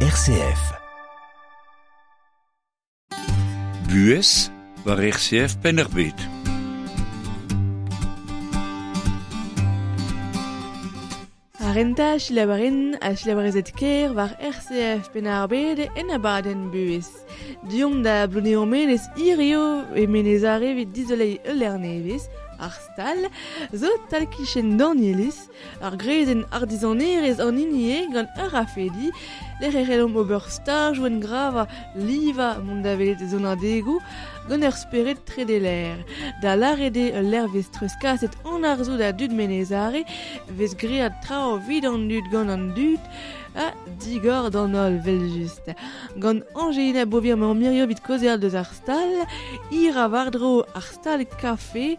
RCF. Buhez war RCF Penn-ar-Bed. Ar renta selaouerien ha selaouerezed ker war RCF Penn-ar-Bed en abadenn buhez. Deomp da Plouneour-Menez hirio e Menez-Are evit dizoleiñ ul lec'h nevez, ar stal, zo tal-kichen Danielis, ar greizenn artizanerezh an hini eo gant ur rafedi, lec'h e c'hellomp ober stajoù engravañ, livañ, mont da welet sonadegoù, gant ur spered tredeler. Da lâret eo ul lec'h vez treuzkaset an arzoù da dud Menez-Are, vez graet traoù evit an dud gant an dud, ha digor d'an holl, evel-just. Gant Angelina Beauvir emaomp hirio evit kaozeal deus ar stal, hir a war-dro ar stal kafe,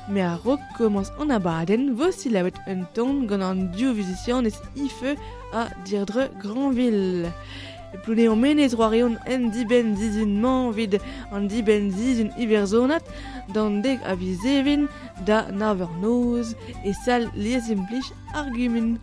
me a-raok komañs an abadenn vo selaouet un ton gant an div vuzisianez Ife ha Deirdre Granville. E Plouneour-Menez roarion en dibenn sizhun-mañ evit an dibenn sizhun iwerzhonat d'an dek a viz Even da nav eur noz e sal lies-implij ar gumun.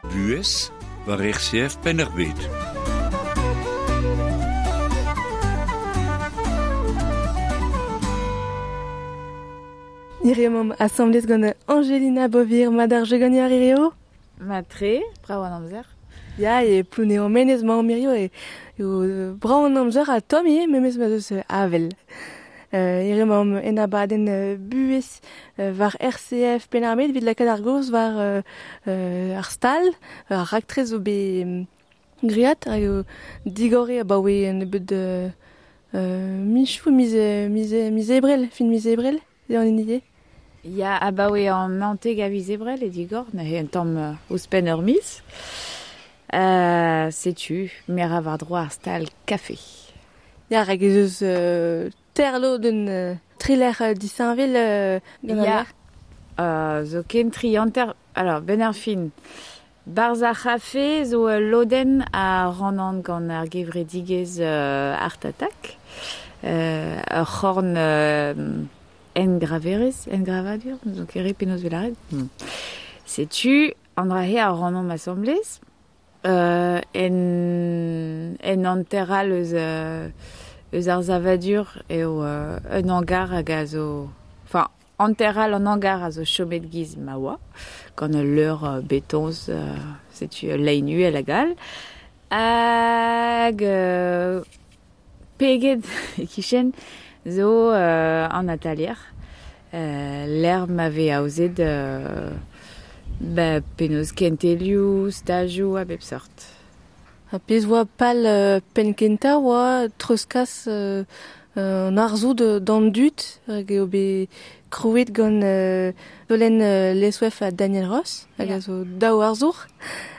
Buhez war RCF Penn-ar-Bed. Hirio emaomp asambles gant Angelina Beauvir, mat ar jeu ganeoc'h hirio? Mat-tre, brav an amzer. Ya, e Plounéour-Menez 'maomp hirio eo brav an amzer ha tomm ivez memes ma 'z eus avel. Hirio 'maomp en abadenn buhez war RCF Penn-ar-Bed evit lakaat ar gaoz war ar stal, ar raktres zo bet graet hag eo digor eo abaoe un nebeud michoù, miz, miz, miz ebrel, fin miz ebrel eo an hini eo. Ya, abaoe an 19 a viz ebrel e digor, neuze un tamm ouzhpenn ur miz. Setu, me ra war-dro ar stal kafe. Ya, rak ez eus terlodenn trilec'h disheñvel gant al lec'h. Zo ken tri hanter, alors, benn ar fin. Barzh ar c'hafe zo ul lodenn a rannan gant ar gevredigezh Art Attack. Ur c'horn engraverezh, engravadur, n'ouzon ket re penaos 'vez lâret. Setu an dra-se a rannomp asambles. En, en hanter all eus, eus ar savadur eo un hangar hag a zo... Enfin, hanter all an hangar a zo chomet giz ma oa, gant ul leur betoñs, setu ul lein uhel hag all. Hag peget e-kichen zo an atalier, lec'h ma vez aozet ba penaos kentelioù, stajoù a bep seurt. Ha pezh oa pal penn-kentañ oa treuzkas an arzoù d'an dud hag eo bet krouet gant Solenn Lesouef ha Daniel Ross hag a zo daou arzour.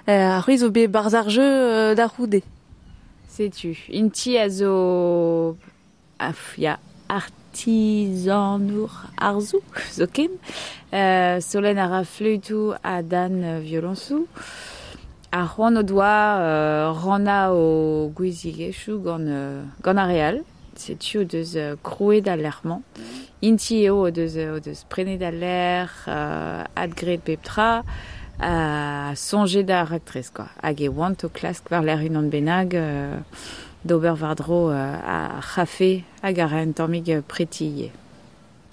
Ar c'hwi zo bet barzh ar jeu da c'houde. Setu, int-i a zo ya, artizanour arzoù zoken. Solenn a ra fleütoù ha Dan violoñsoù. Ar c'hoant o doa rannañ o gouiziegezhioù gant, gant ar re all. Setu o deus krouet al lec'h-mañ. Int-i eo o deus, o deus prenet al lec'h, adgraet pep tra, ha soñjet ar raktres quoi. Hag e oant o klask war-lerc'h unan bennak d'ober war-dro ar c'hafe hag a ra un tammig preti ivez.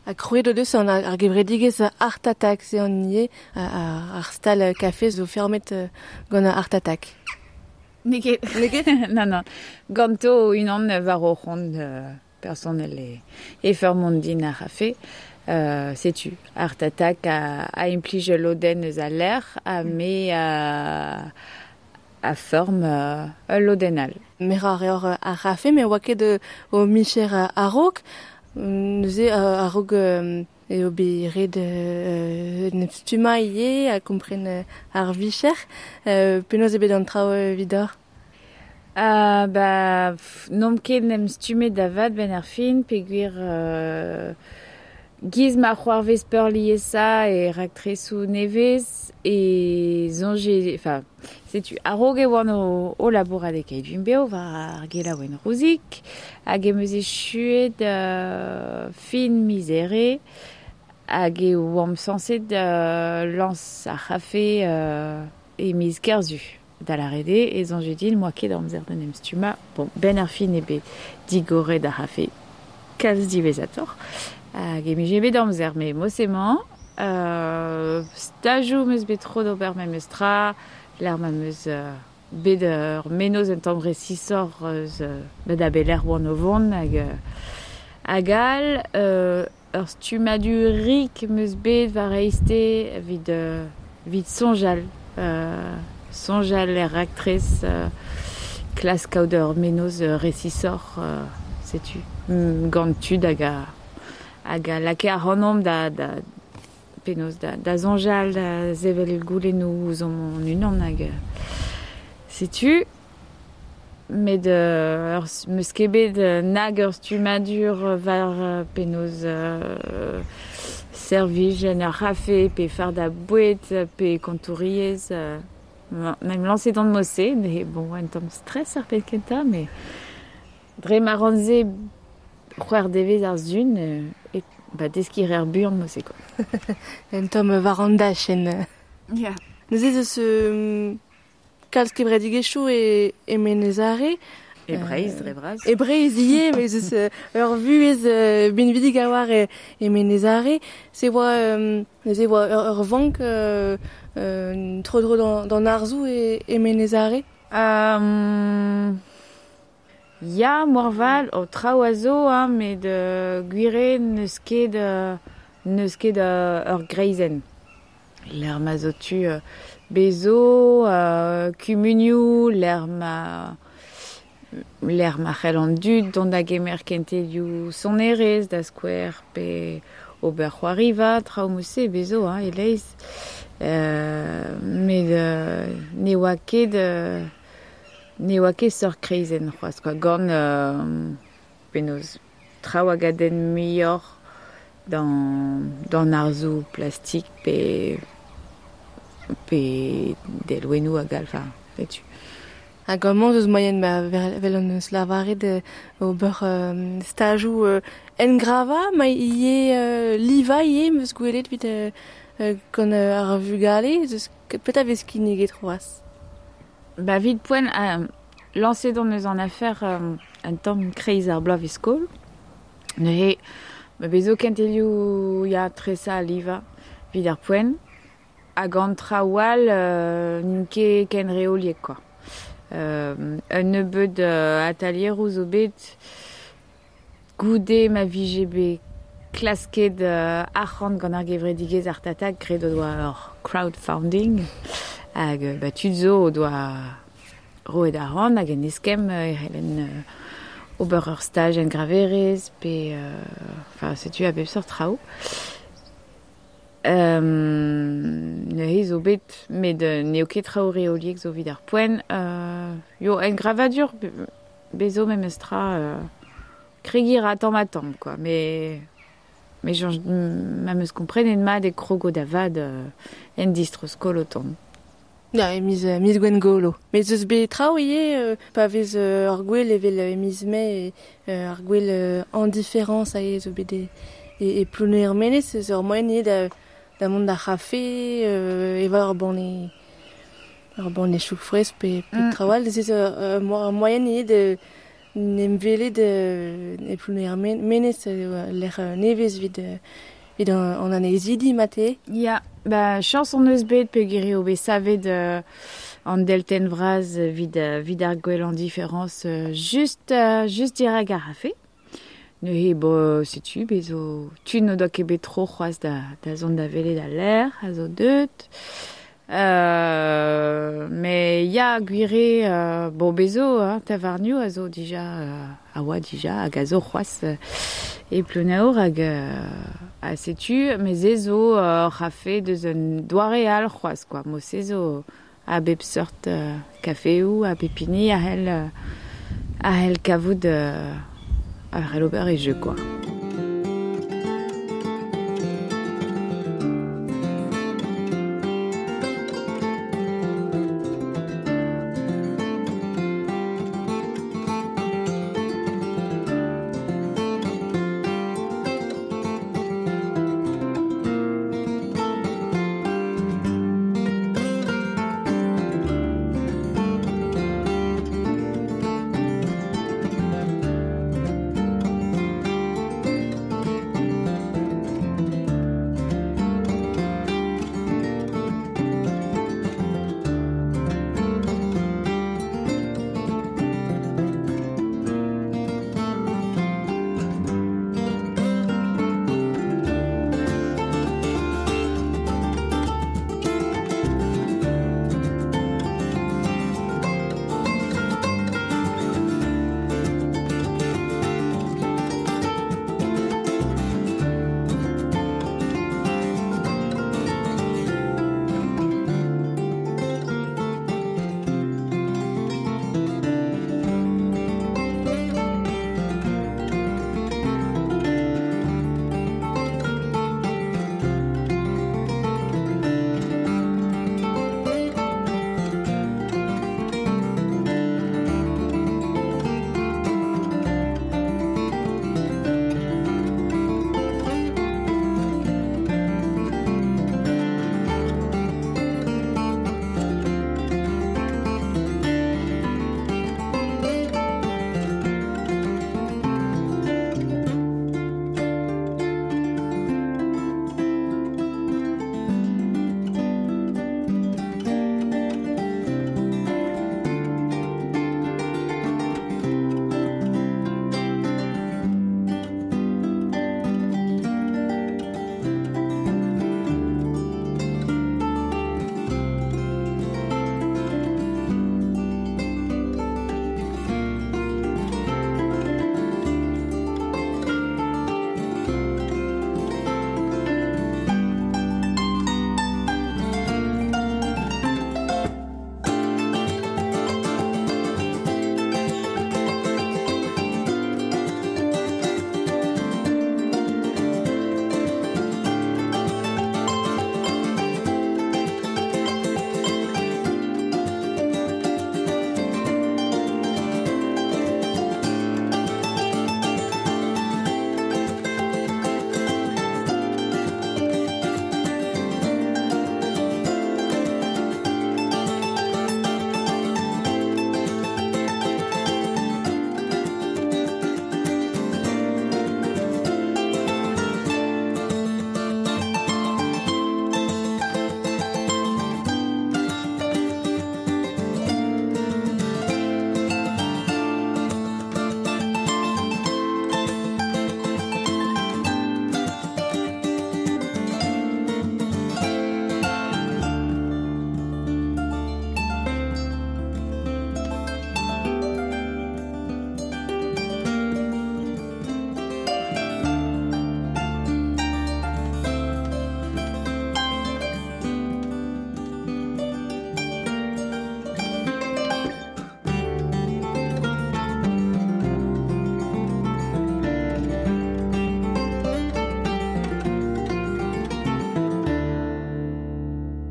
Ha krouet o deus an ar gevredigezh Art Attack, se an ivez, ar stal kafe zo fermet gant Art Attack. N'eo ket. N'eo ket? Nann, nann. Ganto unan war o c'hont personel e feurmont din ar c'hafe. Setu, Art Attack a implij ul lodenn eus al lec'h ha me a feurm ul lodenn all. Merañ a reoc'h ar c'hafe, met oa ket ho micher a-raok. Neuze a-raok eo bet ret en em stummañ ivez ha kompren ar vicher. Penaos eo bet an traoù evidoc'h? Ba, n'omp ket en em stummet da vat benn ar fin peogwir giz ma c'hoarvez peurliesañ e raktresoù nevez e soñje... Enfin, setu, a-raok e oan o labourat e Keit Vimbev war ar gelaouenn Rouzig hag em eus echuet fin miz Here hag e oamp sañset lañs ar c'hafe e miz Kerzu. Da lâret eo e soñje din 'moa ket amzer d'en em stummañ. Bon, benn ar fin eo bet digoret ar c'hafe kalz diwezhatoc'h hag em bije bet amzer met mod-se-mañ stajoù 'm eus bet tro d'ober memestra, lec'h ma 'm eus bet ur mennozh un tamm resisoc'h eus da belec'h oan o vont hag hag all. Ur stummadur rik 'm eus bet war eizhte evit evit soñjal soñjal er raktres, klask kaout ur mennozh resisoc'h, setu gant tud hag a hag a lakae ac'hanomp da da penaos da da soñjal, da sevel goulennoù ouzhomp hon-unan hag setu. Met ur 'm eus ket bet nag ur stummadur war penaos servij en ur c'hafe pe fardañ boued pe kontouriezh. En em lañset on mod-se, neuze bon un tamm stress ar penn kentañ, met dre ma ran se c'hwec'h devezh ar sizhun e ba deskiñ a reer buan mod-se quoi. Un tamm war an dachenn. Ya. Neuze ez eus kalz kevredigezhioù e Menez Are. E Breizh dre vras. E Breizh ivez, mais ez eus ur vuhez binvidik a-walc'h e Menez Are. Se oa neuze oa ur vank tro-dro d'an arzoù e Menez Are? Ya, moarvat, o traoù a zo, hein, met gwir eo n'eus ket ur greizenn. Lec'h ma zo tu bezo, kumunioù, lec'h ma c'hell an dud dont da gemer kentelioù sonerezh da skouer pe ober c'hoariva, traoù mod-se bezo, hein, e-leizh. Met ne oa ket ne oa ket seurt kreizenn c'hoazh quoi, gant penaos traoù hag a denn muioc'h d'an arzoù plastik pe delwennoù hag all, enfin, setu. Hag amañ eus moaien ma vel an eus lavaret ober stajoù engravañ, ma ivez livañ ivez 'm eus gwelet evit gant ar vugale, eus petra vez kinniget c'hoazh? Ba evit poent, lañset on eus an afer un tamm kreiz ar bloavezh-skol. Neuze, ma vezo kentelioù ya tresañ ha livañ evit ar poent. Hag an traoù all n'int ket ken reoliek quoi. Un nebeud atalieroù zo bet goude ma vije bet klasket arc'hant gant ar gevredigezh Art Attack, graet o doa ur crowdfunding. Hag ba tud zo o doa roet arc'hant hag en eskemm e c'hellen ober ur staj engraverezh pe enfin setu a bep seurt traoù. Neuze zo bet, met n'eo ket traoù reoliek zo evit ar poent. Yo, engravadur bezo memes tra kregiñ ra tamm-ha-tamm quoi, mais soñj ma 'm eus komprenet mat e krogo da vat en distro-skol o tont. Ya, e miz Gwengolo. Met eus bet traoù ivez, pa vez ur gwel evel e miz Mae, ar gwel en différence a zo bet e Plouneour-Menez, eus ur moaien ivez da mont d'ar c'hafe, evañ ur banne chouk fres pe traoù all. Ez eus ur moaien ivez de n'em welet e Plouneour-Menez lec'h nevez evit an anezidi mate. Ya, ba chañs hon eus bet peogwir eo bet savet an deltenn vras evit ar gwel en différence just dirak ar c'hafe. Neuze bo setu bezo tud n'o doa ket bet tro c'hoazh da zont da welet al lec'h a zo deut. Mais ya gwir eo bon bezo hein, tavarnioù a zo dija a oa dija hag a zo c'hoazh e Plouneour hag a setu met se zo ur c'hafe deus un doare all c'hoazh quoi. Mo se zo a bep seurt kafeoù a bep hini a c'hell kavout a c'hell ober e jeu quoi.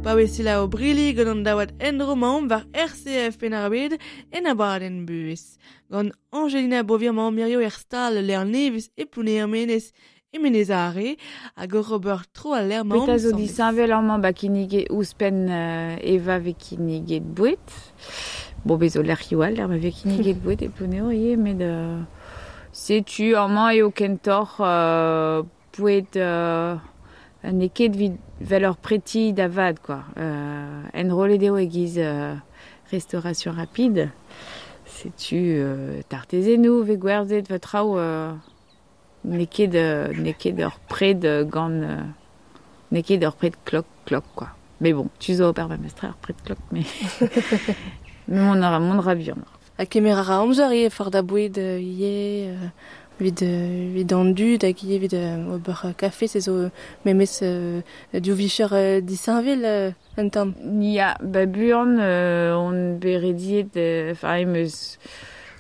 Pa selaou brili gant an daouad endro-mañ war RCF Penn-ar-Bed en abadenn buhez. Gant Angelina Bovier mañ mirio er stal lec'h nevez e Plouneour-Menez e Menez-Are hag ur ober tro al lec'h mañ Petra zo disheñvel amañ ba kinniget ouzhpenn Eva vez kinniget boued. Bon, bez zo lec'hioù all lec'h ma vez kinniget boued e Plouneour ivez, met setu amañ eo kentoc'h boued n'eo ket evit vel ur preti da vat, quoi. Enrollet eo e-giz restauration rapide. Setu tartezennoù vez gwerzhet va traoù n'eo ket n'eo ket ur pred gant n'eo ket ur pred klok klok quoi. Mais bon, tu zo ober memestra ur pred klok mais mont a ra mont a ra buan. Ha kemer a ra amzer ivez fardañ boued ivez evit evit an dud hag ivez evit ober kafe se zo memes div vicher disheñvel un tamm. Ya, ba buan on bet rediet enfin em eus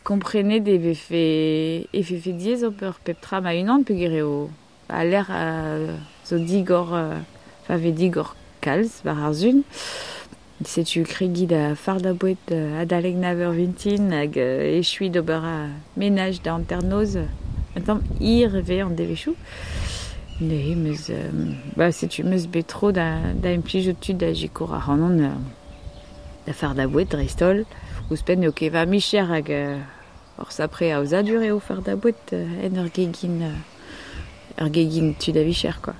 komprenet e vefe e vefe diaes ober pep tra ma-unan peogwir eo al lec'h zo digor enfin vez digor kalz war ar sun. Setu kregiñ da fardañ boued adalek nav eur vintin hag echuiñ d'ober menaj da hanternoz. Un tamm hir e vez an devezhioù. Neuze 'm eus ba setu 'm eus bet tro da da implijout tud da sikour ac'hanon da fardañ boued dreist-holl. Ouzhpenn n'eo ket va micher hag ur sapre aozadur eo fardañ boued en ur gegin ur gegin tud a vicher quoi.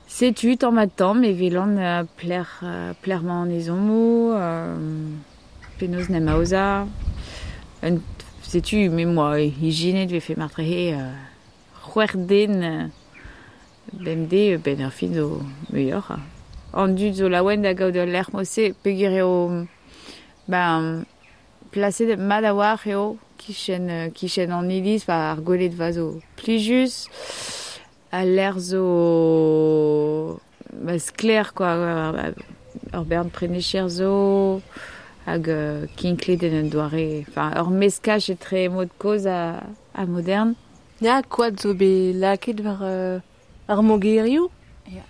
Setu tamm-ha-tamm e welan pelec'h pelec'h emañ an ezhommoù, penaos 'n em aozañ. Un setu me 'm boa ijinet 'vefe marteze c'hwec'h den bemdez benn ar fin zo muioc'h. An dud zo laouen da gaout ul lec'h mod-se peogwir eo ben plaset mat a-walc'h eo kichen kichen an iliz, enfin ar gweledva zo plijus. Al lec'h zo ba sklaer quoi, ur bern prenecher zo hag kinklet en un doare, enfin ur meskaj etre mod kozh ha modern. Ya, koad zo bet lakaet war ar mogerioù. Ya.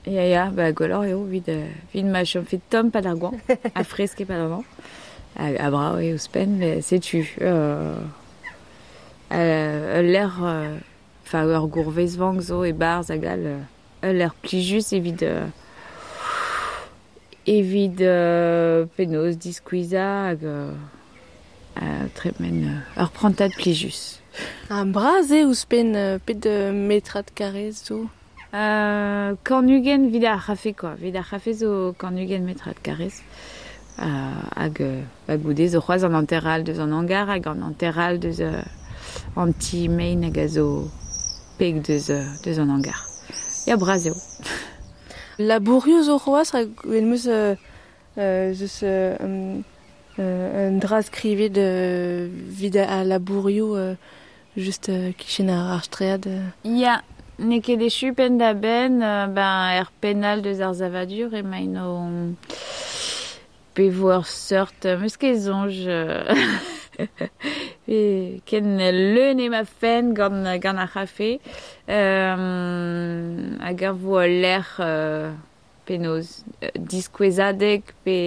Ya, ya, ba gwelloc'h eo evit evit ma chomfe tomm 'pad ar goañv ha fresk e-pad an hañv. Ha brav eo ouzhpenn, met setu ul lec'h enfin ur gourvezvank zo e-barzh hag all ul lec'h plijus evit evit penaos diskuizhañ hag tremen ur prantad plijus. Ha bras eo ouzhpenn pet metrad karrez zo? 120 evit ar c'hafe quoi. Evit ar c'hafe zo 120 metrad karrez. Hag ba goude zo c'hoazh an hanter all deus an hangar hag an hanter all deus an ti mein hag a zo peg deus deus an hangar. Ya, bras eo. Labourioù zo c'hoazh rak gwell 'm eus eus un dra skrivet evit al labourioù just kichen ar straed. Ya, n'eo ket echu penn-da-benn ben er penn all deus ar savadur emaint o pe vo ur seurt 'm eus ket soñj ken leun eo ma fenn gant gant ar c'hafe hag a vo ul lec'h penaos diskouezadeg pe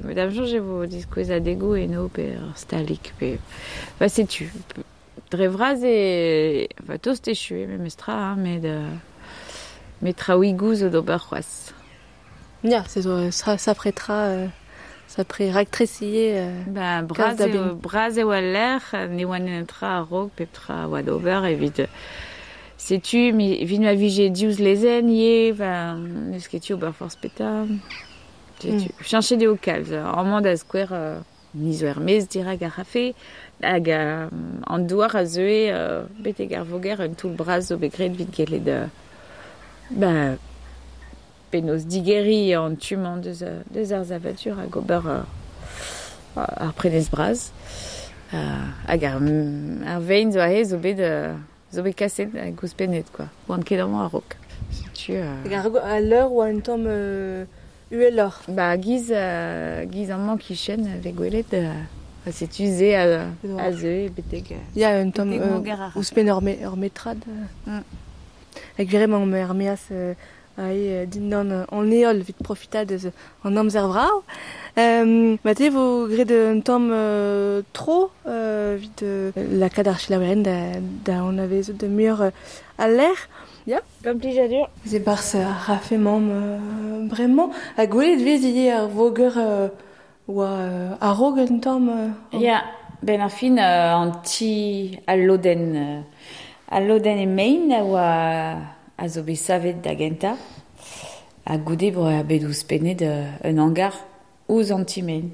da'm soñj e vo diskouezadegoù eno pe ur stalig pe ba setu dre vras eo enfin tost echu eo memestra hein met met traoùigoù zo d'ober c'hoazh. Ya, se zo sapre tra sapre raktres ivez. Ba bras eo bras eo al lec'h, ne oa netra a-raok pep tra a oa d'ober evit setu evit ma vije diouzh lezenn ivez, enfin n'eus ket tu ober forzh petra. Setu cheñchet eo kalz. Amañ da skouer ni zo er-maez dirak ar c'hafe hag an douar a zeue betek ar voger un toull bras zo bet graet evit gellet ba penaos digeriñ an tu-mañ deus deus ar savadur hag ober ar prenestr bras. Hag ar ar vein zo aze zo bet zo bet kaset hag ouzhpennet quoi. Oan ket amañ a-raok. Setu Hag ar leur oa un tamm uheloc'h. Ba giz giz amañ kichen vez gwelet ha setu se a zeue betek Ya, un tamm ouzhpenn ur metrad. Hag gwir emaomp er-maez Ae dindan an heol evit profitañ deus an amzer vrav. Mate vo graet un tamm tro evit lakaat ar selaouerien da anavezout muioc'h al lec'h. Ya. Gant plijadur. Se barzh ar c'hafe mamm bremañ. Ha gwelet vez ivez ar voger oa a-raok un tamm. Ya, ben ar fin an ti al lodenn e mein a oa a zo bet savet da gentañ. Ha goude eo bet ouzhpennet un hangar ouzh an ti-mein.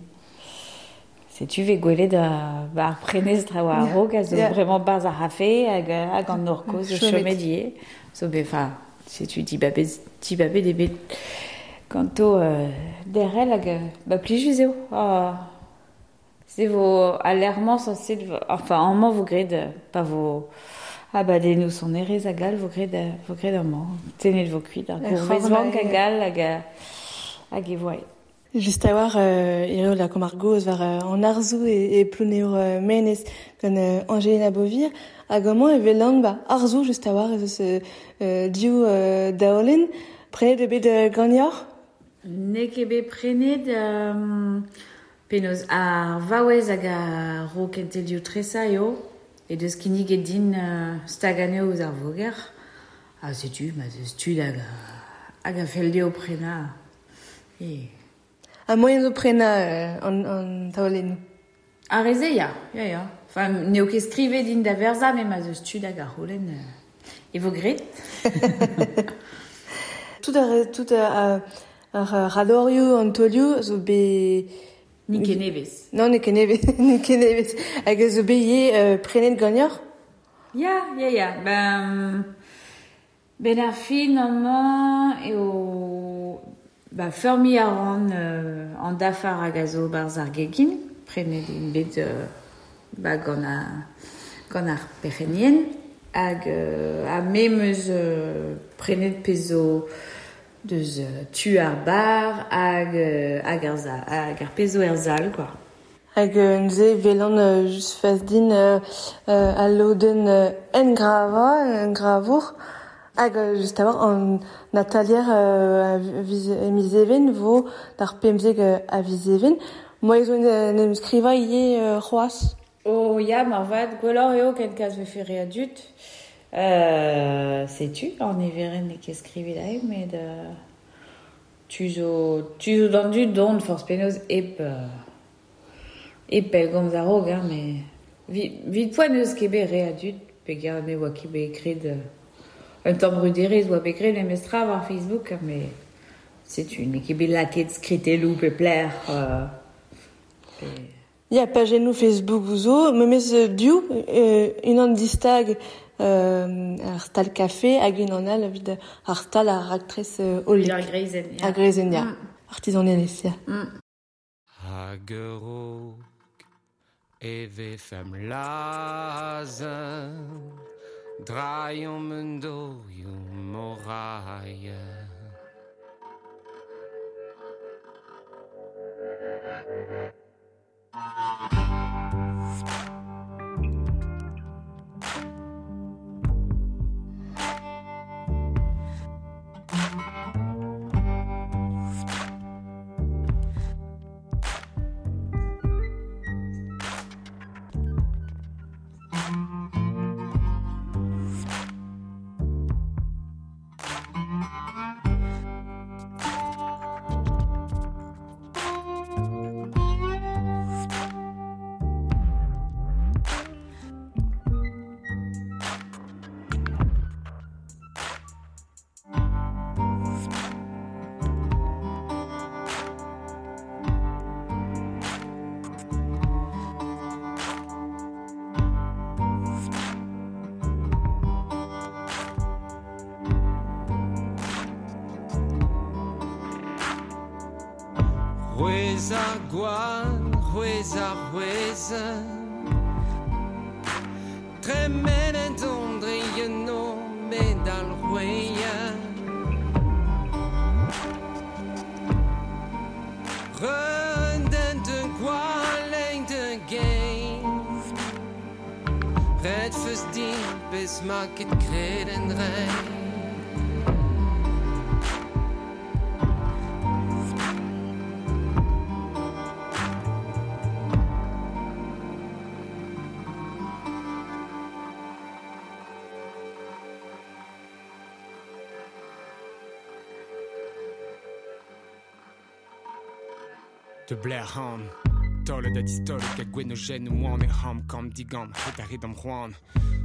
Setu vez gwelet ar prenestr a oa a-raok a zo bremañ barzh ar c'hafe hag an nor kozh zo chomet ivez. Zo bet, enfin, setu dibabet eo bet ganto derc'hel hag ba plijus eo. Se vo al lec'h-mañ sañset, enfin, amañ vo graet pa vo abadennoù sonerezh hag all vo graet amañ. Tennet vo kuit ar gourvezvank hag all hag e vo. Just a-walc'h eo lakaomp ar gaoz war an arzoù e Plouneour Menez gant Angelina Beauvir. Hag amañ e welan ba arzoù just a-walc'h ez eus div daolenn. Prenet eo bet ganeoc'h? N'eo ket bet prenet penaos ar vaouez hag a ro kentelioù tresañ eo. E deus kinniget din stag anezho ouzh ar voger. Ha setu, ma zeus tud hag a fell dezho prenañ. E. Ha moaien zo prenañ an taolennoù? Ar re-se, ya, ya. Enfin, n'eo ket skrivet din da verzañ, met ma zeus tud hag a c'houlenn e vo graet. Tout ar radorioù, an taolioù zo bet... N'eo ket nevez. Non, n'eo ket nevez. Hag a zo bet ivez prenet ganeoc'h? Ya. Ben ar fin amañ eo... Ba feurmiñ a ran an dafar hag a zo barzh ar gegin. Prenet int bet ba gant ar perc'henien. Hag ha me 'm eus prenet pezh zo deus tu ar bar hag ar pezh zo er sal, quoi. Hag neuze welan just fas din al lodenn engravour. Hag just a-walc'h an atalier a miz Even vo d'ar pemzek a viz Even. Moaien zo en em skrivañ ivez c'hoazh? Oh ya, marvat, gwelloc'h eo ken kas vefe re a dud. Setu, an niverenn n'eo ket skrivet aze, met tu zo d'an dud dont forzh penaos hep pellgomz a-raok, hein, met vit poent n'eus ket bet re a dud, peogwir ne oa ket bet graet un tamm bruderezh oa bet graet memestra war Facebook, met setu, n'eo ket bet lakaet skritelloù pe plec'h. Ya, pajennoù Facebook zo, memes div, unan distag ar stal kafe hag unan all evit ar stal ar raktres hollek. Ar greizenn, ya. Ar greizenn, ya. Artizanelezh, ya. Hag a-raok e vefemp lazhañ drailhomp un dorioù morailh. C'hwezh ar gwad, c'hwezh ar c'hwezhenn. Tremenet on dre eno medal c'hwezhenn. Reun de gwall de gein. Ret feus din bez ma ket kreden rein. De Blair Han Tolle da distolet ga gwenogen oan e ham kam digam het a red am c'hoan.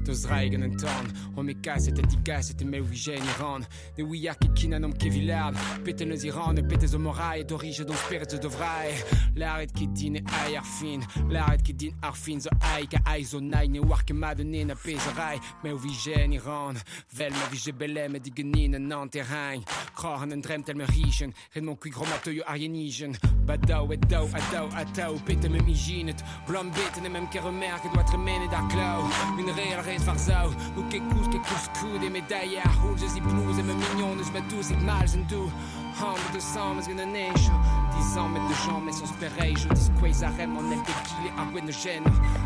Deus raig an torn, o me kaset a digaset e me ouijen iran. Ne ouiar ket kinan am kevilard, peten eus iran e petez o morai d'orige don speret zo dovrai. Laret ket din e ai ar fin, laret ket din ar fin zo ai ka ai zo nai ne oar ket mad ne na pez a rai. Me ouijen iran, vel ma vije belem e digenin an anterrain. Kror an drem tel me richen, red mon kuig romateuio ar yenijen. Badao et dao a dao a tao pet em ijinet, blam bet en em keremer ket oa tremenet ar klaou. Un real rez war zao, ou ket kouz ket kouz koud e medaille ar houl eus i plouz e me mignon eus ma dous et malz en dou. Ham de sang eus gant an echo, dizan met de jam mes on spereijo, diskouez ar rem an el dekile ar gwen gen.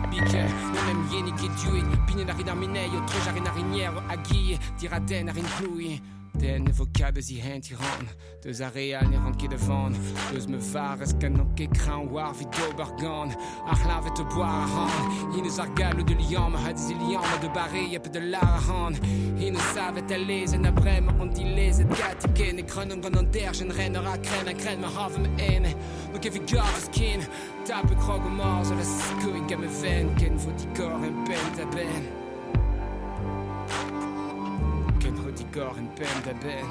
Biken, ne mem yeni ket duet, pinen ar rin ar minei, o troj ar rin ar rinier, a guille, diraden ar rin ploui. Den ne vo kat eus i hent iran, deus ar real ne ran ket a van, deus me var eus kan an ket krañ war vid d'ober gant, ar c'hlavet o boar a ran, hin eus ar gallo de liam, ha diz liam de barre a pe de lar a ran, hin eus savet a lez en a brem an dilezet gat ken e kren an gant an derj en ren ur a kren a kren ma hav me ene, no ket vid gar eus ken, tap e krog o morz a la skoig a me ven, ken vo digor en pen da ben. Ken vo digor en pen da ben.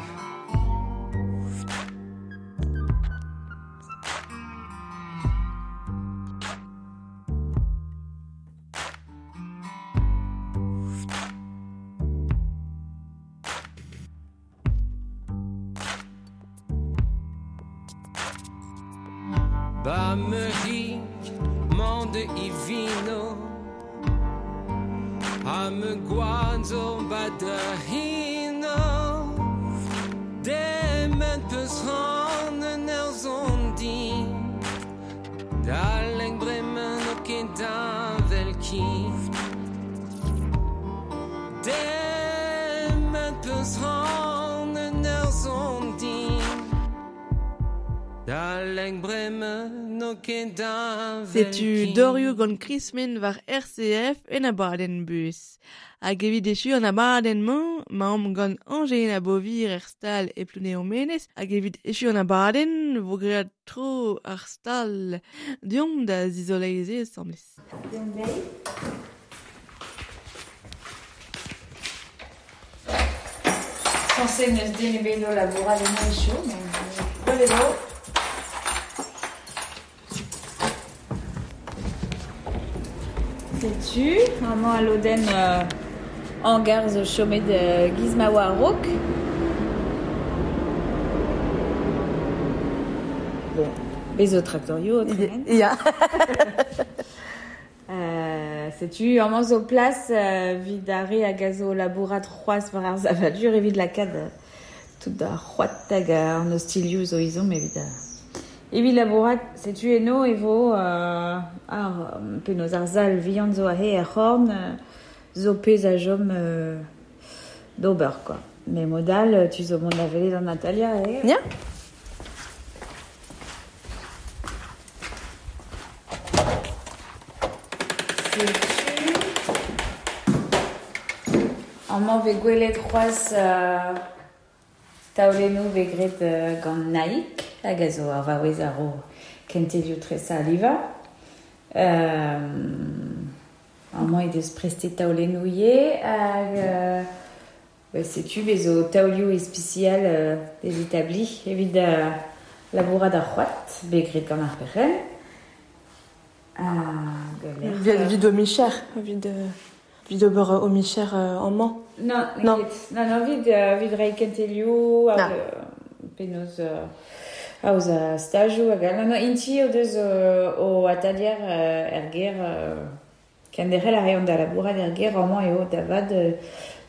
Ba me rik mande i vino A me guanzo ba da hino Demen peus ran en er zondi Daleng bremen o ket davel ki Demen peus ran en er zondi Daleng bremen o ket davel Setu ki Dorio gant Krismen war RCF en abadenn bus. Hag evit echu an abadenn-mañ, ma omp gant Angelina Bovir er stal e Plounéour-Menez, hag evit echu an abadenn vo graet tro ar stal. Deomp da zizoleize asambles. Deomp dezhi. Censé neus den ebet o labourat en echu, mais gwelet eo. Setu, amañ a lodenn hangar zo chomet giz ma oa a-raok. Bon, bez zo traktorio o tremen. Ya. Setu, amañ zo plas vid ar re hag a zo labourat c'hoazh war ar savadur evit lakaat tout ar c'hoad hag an ostilioù zo izom evit evit labourat, setu eno e vo ar penaos ar sal vihan zo aze er c'horn zo pezh a chom d'ober, quoi. Mais modal, tu zo mont da welet an Natalia, eh? Ya. Setu amañ vez gwelet c'hoazh taolennoù vez graet gant Naik, hag a zo ar vaouez ar o kentelioù tresañ a livañ. Amañ he deus prestet taolennoù ivez, hag setu bez zo taolioù ispisial des établis evit labourat ar c'hoad, bet graet gant ar perc'henn. Hag lec'h, Vid o micher, vid ober o micher amañ. Non, Non. ket. Non, non, vid reiñ kentelioù, hag, Ah. penaos aoz a stajoù hag all. Non, non, inti o deus o atalier er gêr kenderc'hel a reont da labourat er gêr amañ eo da vat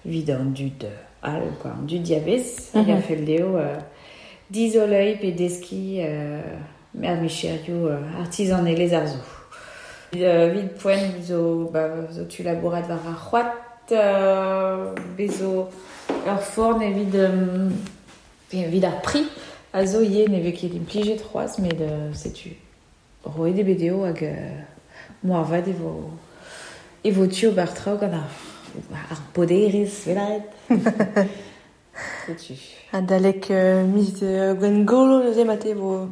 vid an dud all, quoi, an dud diavez, hag a fell dezho dizoleiñ pe deskiñ mer micherioù artizanelezh ar zo. Vid poent zo, ba, zo tu labourat war ar c'hoad, bez zo ur forn evit evit ar pri a zo ivez ne vez ket implijet c'hoazh, met setu roet eo bet dezho hag moarvat e vo tu ober traoù gant ar poderez, velaet. Setu. Adalek miz Gwengolo neuze mate vo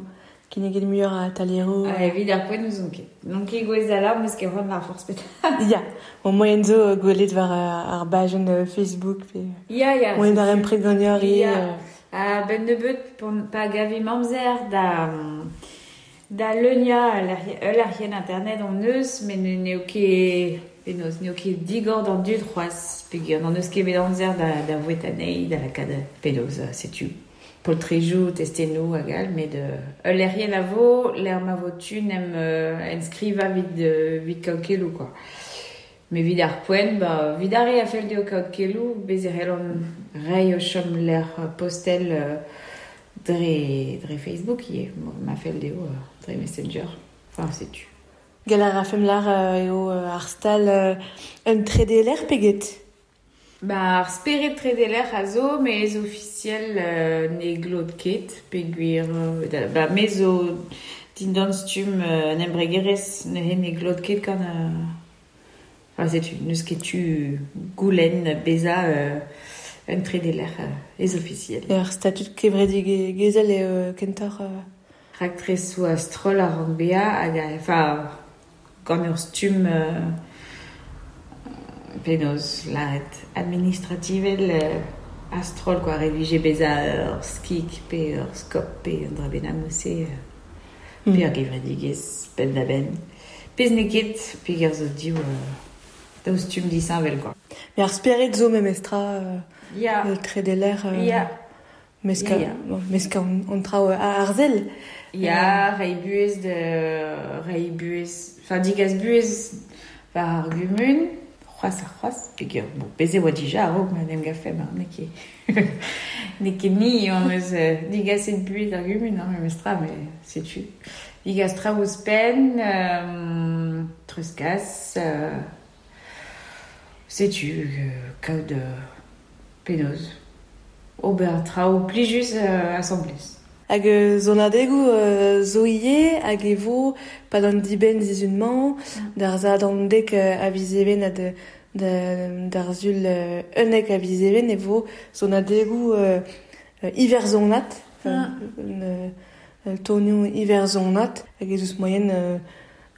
kinniget muioc'h a atalieroù. Ha evit ar poent n'ouzon ket. N'on ket gouez da lâr, meus ket c'hoant war forzh petra. Ya, bon, moaien zo gwelet war ar bajenn Facebook pe... Ya, ya. Moaien darempred ganeoc'h ivez. Ya, a-benn nebeut pa gavimp amzer da da leuniañ ul lec'hienn internet hon eus, met n'eo ket penaos n'eo ket digor d'an dud c'hoazh peogwir n'hon eus ket bet amzer da voueta anezhi, da lakaat penaos, setu poltrejoù, testennoù hag all, met ul lec'hienn a vo, lec'h ma vo tu 'n em enskrivañ evit kaout keloù kwa. Met evit ar poent, ba, evit ar re a fell dezho kaout keloù, bez' e c'hellont reiñ o chomlec'h postel dre Facebook ivez, ma fell dezho dre Messenger. Enfin, setu. Gall a rafemp lâr eo ar stal un tredeler pe get? Ba, ar spered tredeler a zo, met ez ofisiel ne glot ket, peogwir ba, me zo dindan stumm un embregerezh neuze ne glot ket gant Enfin, setu, n'eus ket tu goulenn bezañ un tredeler ez ofisiel. Ur statud kevredigezhel eo kentoc'h. Raktresoù a-stroll a rank bezañ hag enfin, gant ur stumm penaos lâret administrativel a-stroll quoi. Ret vije bezañ ur skik pe ur skop pe un dra bennak neuze pe ur gevredigezh penn-da-benn. Pezh n'eo ket peogwir zo div daou stumm disheñvel quoi. Mais ar spered zo memestra Ya. tredeler Ya. meskañ Ya, ya. bon, meskañ an traoù arzel. Ya, reiñ buhez de reiñ buhez, enfin digas buhez war ar gumun, c'hoazh ha c'hoazh, peogwir bon, bez' e oa dija a-raok ma en em gavfemp, hein, n'eo ket n'eo ket ni hon eus digaset buhez d'ar gumun, hein, memestra, mais setu. Digas traoù ouzhpenn, treuzkas, setu, kaout penaos ober traoù plijus asambles. Hag sonadegoù zo ivez hag e vo pad an dibenn sizhun-mañ, d'ar Sadorn dek a viz Even ha d'ar Sul 11 a viz Even e vo sonadegoù iwerzhonat, tonioù iwerzhonat, hag ez eus moaien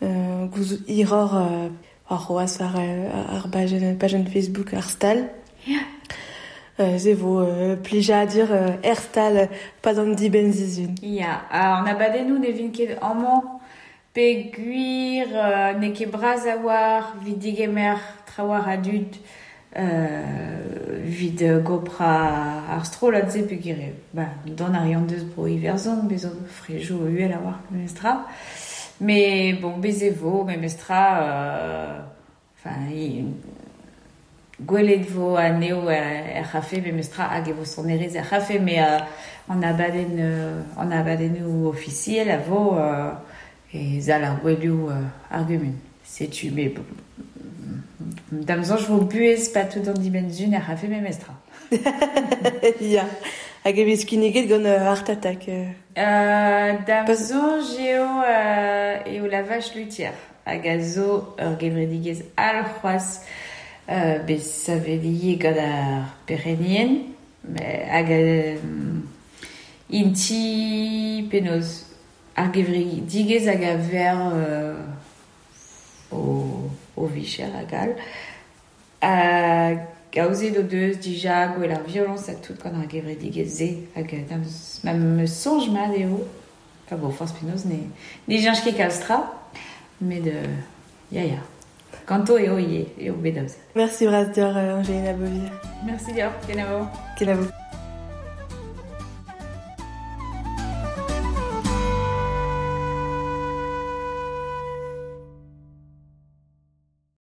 gouzout hiroc'h war c'hoazh war ar bajenn Facebook ar stal. Ya. Se vo plijadur er stal pad an dibenn sizhun. Ya, an abadennoù ne vint ket amañ peogwir n'eo ket bras a-walc'h evit degemer trawalc'h a dud evit goprañ ar strollad-se peogwir eo ba, dont a reont deus bro Iwerzhon, bez' zo frejoù uhel a-walc'h memestra. Mais bon, bez' e vo memestra, enfin, gwelet vo anezho er c'hafe memestra hag e vo sonerezh er c'hafe, met an abadenn an abadennoù ofisiel a vo e sal ar gouelioù ar gumun. Setu, mais bon, da'm soñj vo buhez patout an dibenn-sizhun er c'hafe memestra. Ya, hag e vez kinniget gant Art Attack. Da'm soñj eo la vache luthière hag a zo ur gevredigezh all c'hoazh bet savet ivez gant ar perc'hennien hag int-i penaos ar gevredigezh hag a ver o vicher hag all. Hag aozet o deus dija gwell ar violoñs ha tout gant ar gevredigezh-se hag ma 'm eus soñj mat eo. Enfin bon, forzh penaos ne cheñch ket kalz tra, met ya ya. Ganto eo ivez, eo bet aozet. Merci bras deoc'h, Angelina Beauvir. Merci deoc'h, kenavo. Kenavo.